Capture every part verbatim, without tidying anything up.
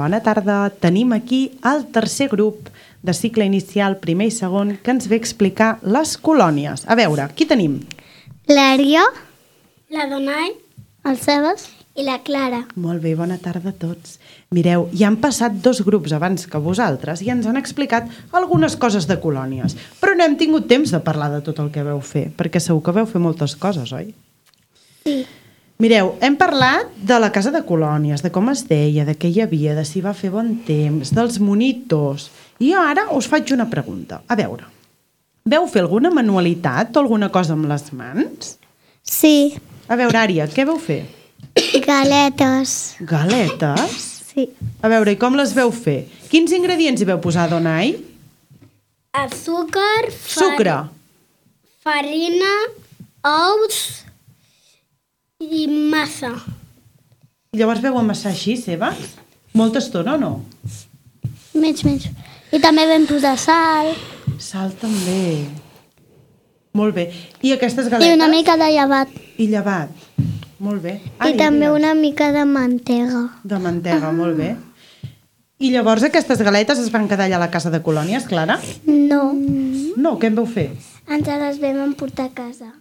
Bona tarda. Tenim aquí el tercer grup de cicle inicial, primer i segon, que ens ve a explicar les colònies. A veure, qui tenim? L'Ària, la Donai, el Sebas i la Clara. Molt bé, bona tarda a tots. Mireu, ja han passat dos grups abans que vosaltres i ens han explicat algunes coses de colònies, però no hem tingut temps de parlar de tot el que veu fer, perquè segur que veu fer moltes coses, oi? Sí. Mireu, hem parlat de la casa de colònies, de com es deia, de què hi havia, de si va fer bon temps, dels monitors. I jo ara us faig una pregunta. A veure, veu fer alguna manualitat o alguna cosa amb les mans? Sí. A veure, Ària, què veu fer? Galetes. Galetes? Sí. A veure, i com les veu fer? Quins ingredients hi veu posar, Donai? Azúcar, Sucre. farina, ous i massa. I llavors veu amassar així, Sebas? Molta estona o no? Mig, mig. I també vam posar sal. Sal també. Molt bé. I aquestes galetes? I una mica de llevat. I llevat. Molt bé. I també una mica de mantega. De mantega, ah. Molt bé. I llavors aquestes galetes es van quedar allà a la casa de colònies, Clara? No. No, què en vau fer? Ens les vam emportar a casa.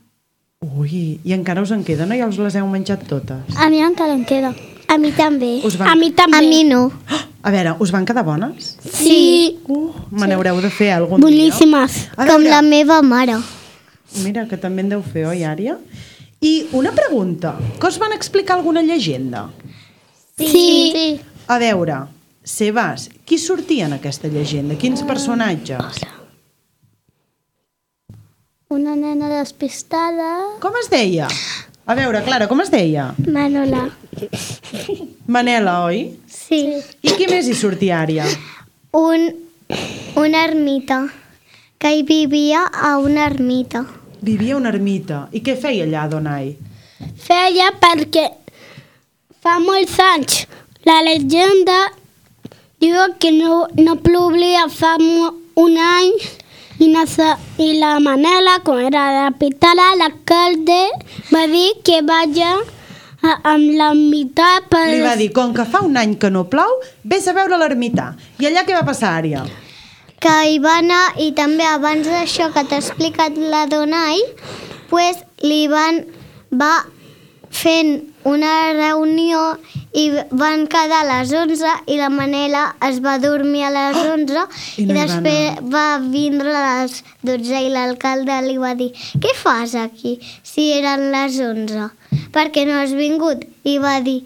Ui, i encara us en queden o ja us les heu menjat totes? A mi encara em queda. A mi també. Us van... A mi també. A mi no. A veure, us van quedar bones? Sí. Uh, me n'haureu de fer algun Boníssimes. dia. A Com veure, la meva mare. Mira, que també en deu fer, oi, Ària? I una pregunta. Que us van explicar alguna llegenda? Sí. sí. A veure, Sebas, qui sortia en aquesta llegenda? Quins personatges? Una nena despistada. Com es deia? A veure, Clara, com es deia? Manola. Manela, oi? Sí. I qui més hi sortia, Ària? Un, una ermita. Que hi vivia a una ermita. Vivia a una ermita. I què feia allà, Donai? Feia perquè fa molts anys la llegenda diu que no, no plovia fa mo- un any i, nasa, i la Manela, com era la pitala, l'alcalde va dir que vaja a, amb l'ermità per... Li va dir, com que fa un any que no plou, vés a veure l'ermità. I allà què va passar, Ària? Que hi va anar, i també abans d'això que t'ha explicat la Donai, pues, li van... va fent una reunió i van quedar a les onze i la Manela es va dormir a les onze oh, i, i no després va, va vindre a les dotze i l'alcalde li va dir què fas aquí si eren les onze? Per què no has vingut? I va dir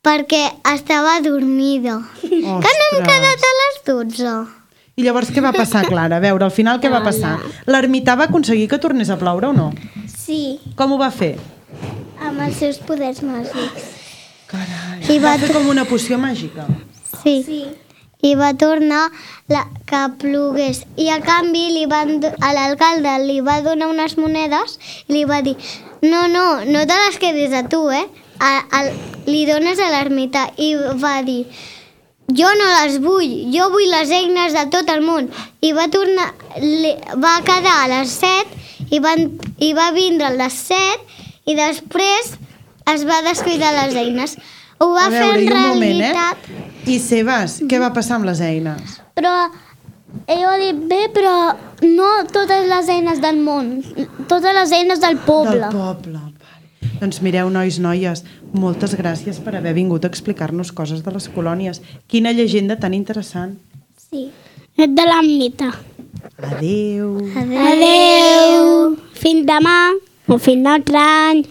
perquè estava dormida. Ostres. Que no hem quedat a les dotze. I llavors què va passar, Clara? A veure, al final què va passar? L'ermità va aconseguir que tornés a ploure o no? Sí, Com ho va fer? amb els seus poders màgics. Carai, I va va fer com una poció màgica. Sí. sí. I va tornar la, que plogués. I a canvi li van, do- a l'alcalde li va donar unes monedes i li va dir no, no, no te les quedis a tu, eh? A, a, li dones a l'ermità. I va dir jo no les vull, jo vull les eines de tot el món. I va tornar, li, va quedar a les set i, van, i va vindre a les set i després es va descuidar les eines. Ho va A fer veure, en i un moment, realitat... eh? I Sebas, què va passar amb les eines? Però ell ha dit bé, però no totes les eines del món, totes les eines del poble. Del poble, vale. Doncs mireu, nois, noies, moltes gràcies per haver vingut a explicar-nos coses de les colònies. Quina llegenda tan interessant. Sí. És de l'ermita. Adéu. Adéu. Adeu. Fins demà o fins l'altre any.